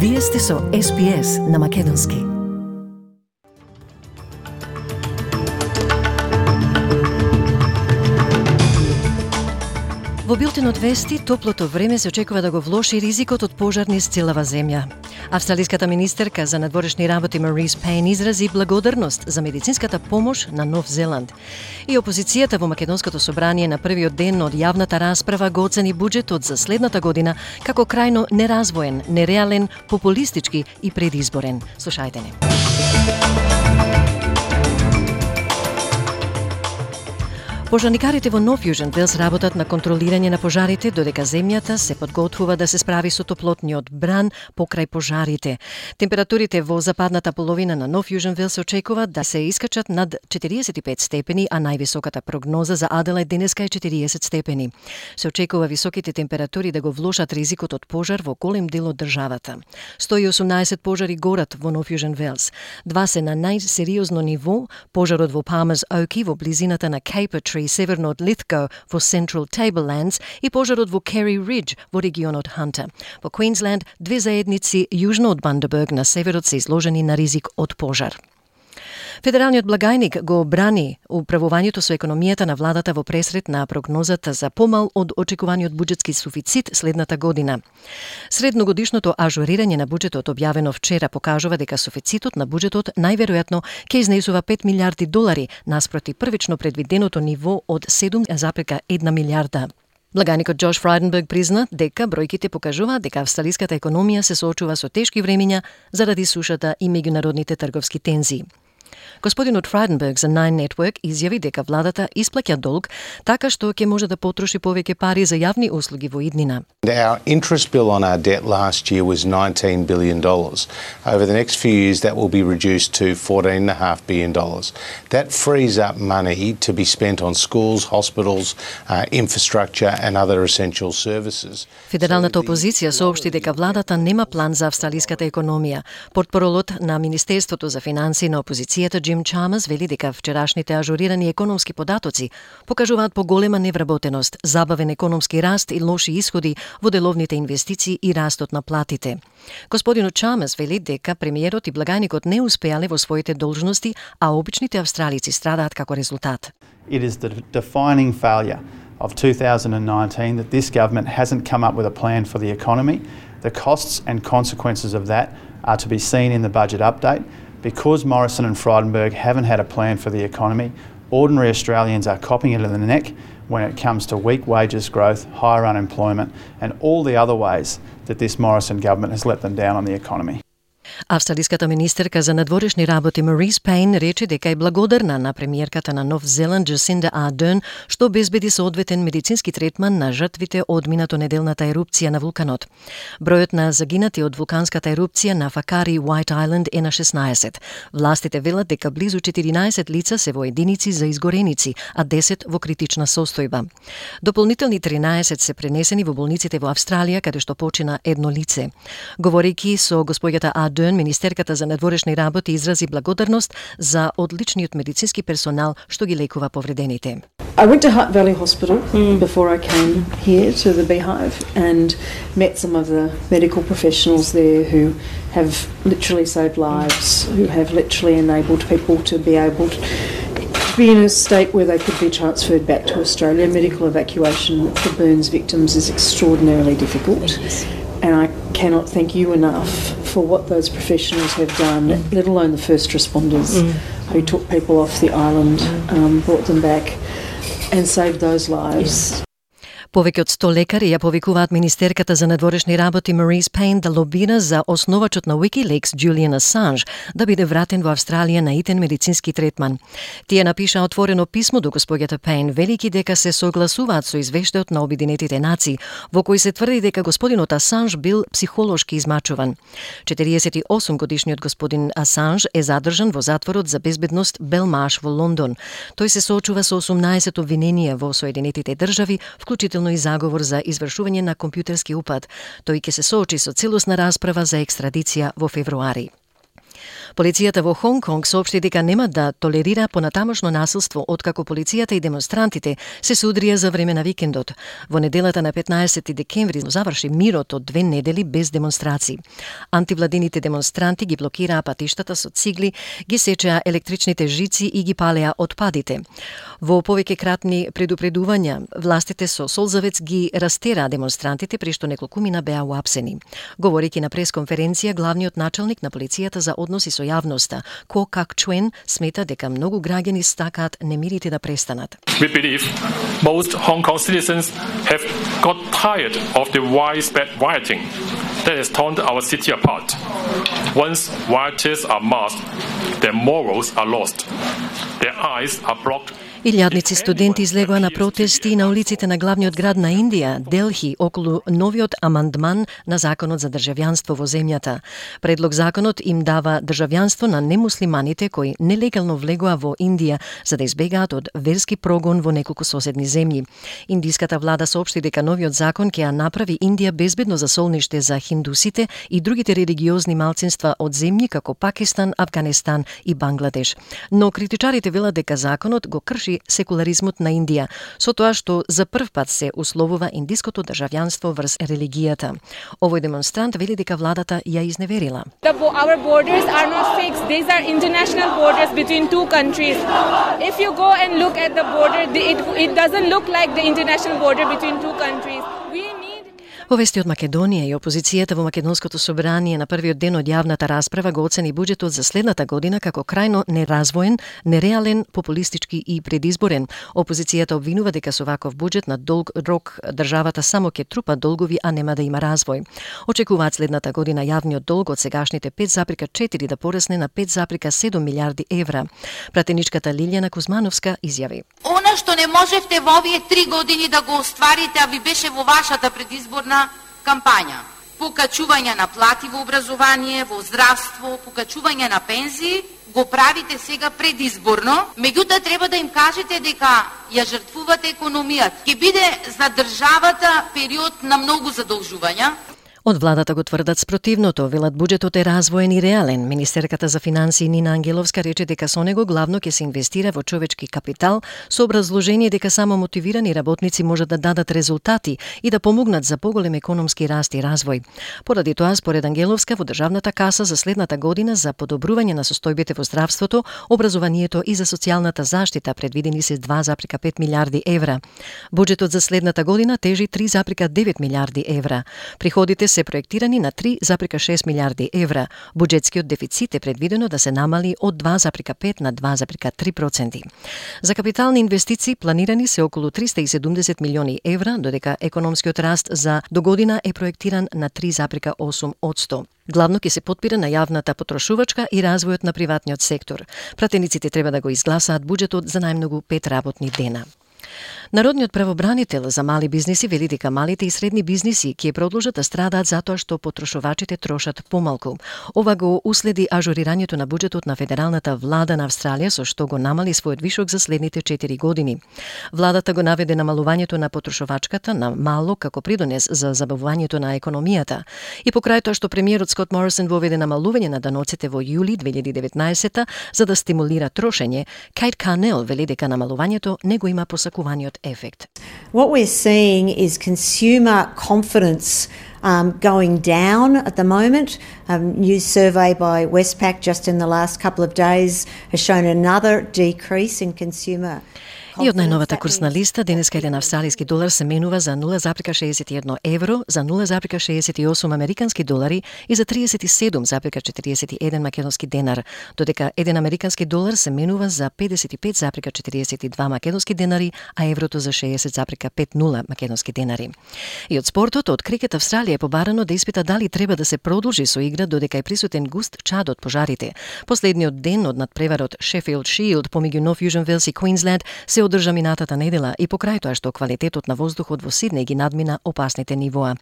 Вие сте со SPS на Македонски. Во билтенот вести, топлото време се очекува да го влоши ризикот од пожар низ целава земја. Австралиската министерка за надворешни работи Марис Пейн изрази благодарност за медицинската помош на Нов Зеланд. И опозицијата во Македонското собрание на првиот ден од јавната расправа го оцени буџетот за следната година како крајно неразвоен, нереален, популистички и предизборен. Слушајте не. Пожарникарите во Нов Јужен Велс работат на контролирање на пожарите, додека земјата се подготвува да се справи со топлотниот бран покрај пожарите. Температурите во западната половина на Нов Јужен Велс се очекува да се искачат над 45 степени, а највисоката прогноза за Аделајд денеска е 40 степени. Се очекува високите температури да го влошат ризикот од пожар во голем дел од државата. 118 пожари горат во Нов Јужен Велс. Два се на најсериозно ниво, пожарот во Palmer's Oakey во близината на Caper Tree северно од Lithgow во Central Tablelands и пожарот во Kerry Ridge во регионот Hunter. Во Queensland, две заедници јужно од Bundaberg на северот се изложени на ризик од пожар. Федералниот благајник го брани управувањето со економијата на владата во пресред на прогнозата за помал од очекуваниот буџетски суфицит следната година. Средногодишното ажурирање на буџетот објавено вчера покажува дека суфицитот на буџетот најверојатно ќе изнесува 5 милиарди долари наспроти првично предвиденото ниво од 7,1 милиарда. Благајникот Джош Фрайденберг призна дека бројките покажуваат дека австралиската економија се соочува со тешки времиња заради сушата и меѓународните трговски тензии. Господинот Фрайденберг за Nine Network изјави дека владата исплаќа долг така што ќе може да потроши повеќе пари за јавни услуги во иднина. Our interest bill on our debt last year was $19 billion. Over the next few years that will be reduced to $14.5 billion. That frees up money to be spent on schools, hospitals, infrastructure and other essential services. Федералната опозиција соопшти дека владата нема план за австралиската економија. Портпаролот на Министерството за финансии на опозицијата Джим Чамас вели дека вчерашните ажурирани економски податоци покажуваат поголема невработеност, забавен економски раст и лоши исходи во деловните инвестиции и растот на платите. Господинот Чамас вели дека премиерот и благајникот не успеале во своите должности, а обичните австралици страдаат како резултат. It is the defining failure of 2019 that this government hasn't come up with a plan for the economy. The costs and consequences of that are to be seen in the budget update. Because Morrison and Frydenberg haven't had a plan for the economy, ordinary Australians are copping it in the neck when it comes to weak wages growth, higher unemployment, and all the other ways that this Morrison government has let them down on the economy. Австралиската министерка за надворешни работи Марис Пейн рече дека е благодарна на премиерката на Нов Зеланд Джасинда Ардерн што обезбеди соодветен медицински третман на жртвите од минатонеделната ерупција на вулканот. Бројот на загинати од вулканската ерупција на Факари White Island е на 16. Властите велат дека близу 14 лица се во единици за изгореници, а 10 во критична состојба. Дополнителни 13 се пренесени во болниците во Австралија, каде што почина едно лице. Говорејќи со госпоѓата Ардерн, министерката за надворешни работи изрази благодарност за одличниот медицински персонал што ги лекува повредените. I went to Hutt Valley Hospital before I came here to the Beehive and met some of the medical professionals there who have literally saved lives, who have literally enabled people to be able to be in a state where they could be transferred back to Australia. Medical evacuation for burns victims is extraordinarily difficult. And I cannot thank you enough for what those professionals have done, let alone the first responders who took people off the island, brought them back and saved those lives. Повеќе од 100 лекари ја повикуваат министерката за надворешни работи Марис Пейн да лобира за основачот на Wikileaks Julian Assange да биде вратен во Австралија на итен медицински третман. Тие напиша отворено писмо до госпоѓата Пейн, велики дека се согласуваат со извештајот на Обединетите нации, во кој се тврди дека господинот Асанж бил психолошки измачуван. 48 годишниот господин Асанж е задржан во затворот за безбедност Белмаш во Лондон. Тој се соочува со 18 обвиненија во Соединетите држави, вклучително и заговор за извршување на компјутерски упад. Тој ќе се соочи со целосна расправа за екстрадиција во февруари. Полицијата во Хонг Конг соопшти дека нема да толерира понатамошно насилство откако полицијата и демонстрантите се судрија за време на викендот. Во неделата на 15 декември заврши мирот од 2 недели без демонстрации. Антивладините демонстранти ги блокираа патиштата со цигли, ги сечеа електричните жици и ги палеа отпадите. Во повеќе кратни предупредувања, властите со солзавец ги растераа демонстрантите, при што неколкумина беа уапсени. Говорејќи на пресконференција, главниот началник на полицијата за односи со јавноста, Ко Как Чуен, смета дека многу граѓани стакаат немирите да престанат. We believe most Hong Kong citizens have got tired of the widespread rioting that has torn our city apart. Once rioters are masked, their morals are lost. Their eyes are blocked. Илјадници студенти излегоа на протести на улиците на главниот град на Индија, Делхи, околу новиот амандман на законот за државјанство во земјата. Предлог законот им дава државјанство на немуслиманите кои нелегално влегоа во Индија за да избегаат од верски прогон во неколку соседни земји. Индиската влада соопшти дека новиот закон ќе ја направи Индија безбедно засолниште за хиндусите и другите религиозни малцинства од земји како Пакистан, Авганистан и Бангладеш. Но критичарите велат дека законот го крши секуларизмот на Индија, со тоа што за прв пат се условува индиското државјанство врз религијата. Овој демонстрант вели дека владата ја изневерила. Our borders are not fixed. These are international borders between two countries. If you go and look at the border, it doesn't look like the international border between two countries. Во вести од Македонија и опозицијата во Македонското собрание на првиот ден од јавната расправа го оцени буџетот за следната година како крајно неразвоен, нереален, популистички и предизборен. Опозицијата обвинува дека со ваков буџет на долг рок државата само ќе трупа долгови, а нема да има развој. Очекуваат следната година јавниот долг од сегашните 5,4 да порасне на 5,7 милиарди евра. Пратеничката Лилјана Кузмановска изјави: Она што не можевте во овие 3 години да го остварите, а ви беше во вашата предизборна кампања. Покачување на плати во образование, во здравство, покачување на пензии, го правите сега предизборно, меѓутоа треба да им кажете дека ја жртвувате економијата. Ќе биде за државата период на многу задолжувања. Од владата го тврдат спротивното, велат буџетот е развоен и реален. Министерката за финансии Нина Ангеловска рече дека со него главно ќе се инвестира во човечки капитал со образложение дека само мотивирани работници можат да дадат резултати и да помогнат за поголем економски раст и развој. Поради тоа, според Ангеловска, во државната каса за следната година за подобрување на состојбите во здравството, образованието и за социјалната заштита предвидени се 2,5 милиарди евра. Буџетот за следната година тежи 3,9 милиарди евра. Приходите се проектирани на 3,6 милиарди евра. Буџетскиот дефицит е предвидено да се намали од 2,5 на 2,3%. За капитални инвестиции планирани се околу 370 милиони евра, додека економскиот раст за до година е проектиран на 3,8%. Главно ќе се потпира на јавната потрошувачка и развојот на приватниот сектор. Пратениците треба да го изгласаат буџетот за најмногу 5 работни дена. Народниот правобранител за мали бизниси вели дека малите и средни бизниси ќе продолжат да страдаат затоа што потрошувачите трошат помалку. Ова го уследи ажурирањето на буџетот на федералната влада на Австралија, со што го намали својот вишок за следните 4 години. Владата го наведе намалувањето на потрошувачката на мало како придонес за забавувањето на економијата. И покрај тоа што премиерот Скот Морисон воведе намалување на даноците во јули 2019 за да стимулира трошење, Кейт Карнел вели дека намалувањето не го има посакуваниот effect. What we're seeing is consumer confidence going down at the moment. A new survey by Westpac just in the last couple of days has shown another decrease in consumer. И од најновата курсна листа, денеска еден австралиски долар се менува за 0,61 евро, за 0,68 американски долари и за 37,41 македонски денар, додека еден американски долар се менува за 55,42 македонски денари, а еврото за 60,50 македонски денари. И од спортот, од крикет Австралија е побарано да испита дали треба да се продолжи со игра додека е присутен густ чад од пожарите. Последниот ден од надпреварот Sheffield Shield помеѓу North Fusion Wales и Queensland се се одржа минатата недела и покрај тоа што квалитетот на воздухот во Сиднеј ги надмина опасните нивоа.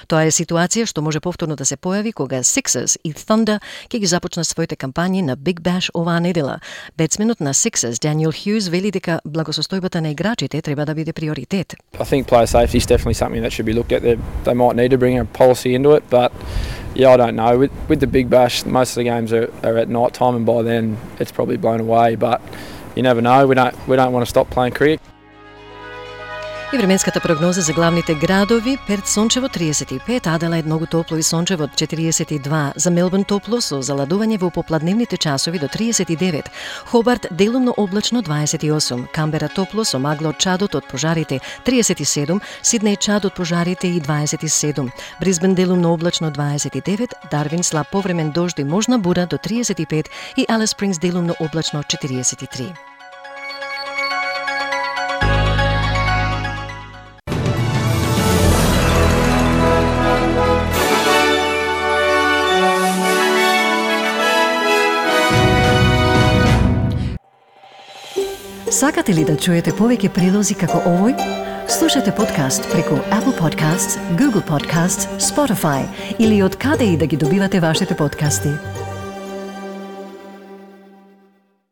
Тоа е ситуација што може повторно да се појави кога Sixers и Thunder ќе ги започнат своите кампањи на Big Bash оваа недела. Бетсменот на Sixers, Daniel Hughes, вели дека благосостојбата на играчите треба да биде приоритет. I think player safety is definitely something that should be looked at. They might need to bring a policy into it, but yeah, I don't know. With the Big Bash, most of the games are at night time, and by then it's probably blown away. But you never know. We don't want to stop playing cricket. И временската прогноза за главните градови: Перт сончево 35, Аделаид многу топло и сончево 42, за Мелбурн топло со заладување во попладневните часови до 39, Хобарт делумно облачно 28, Камбера топло со магла од чадот од пожарите 37, Сиднеј чад од пожарите и 27, Брисбен делумно облачно 29, Дарвин слаб повремен дожд и можна бура до 35 и Алис Спрингс делумно облачно 43. Сакате ли да чуете повеќе прилози како овој? Слушате подкаст преку Apple Podcasts, Google Podcasts, Spotify или од каде и да ги добивате вашите подкасти.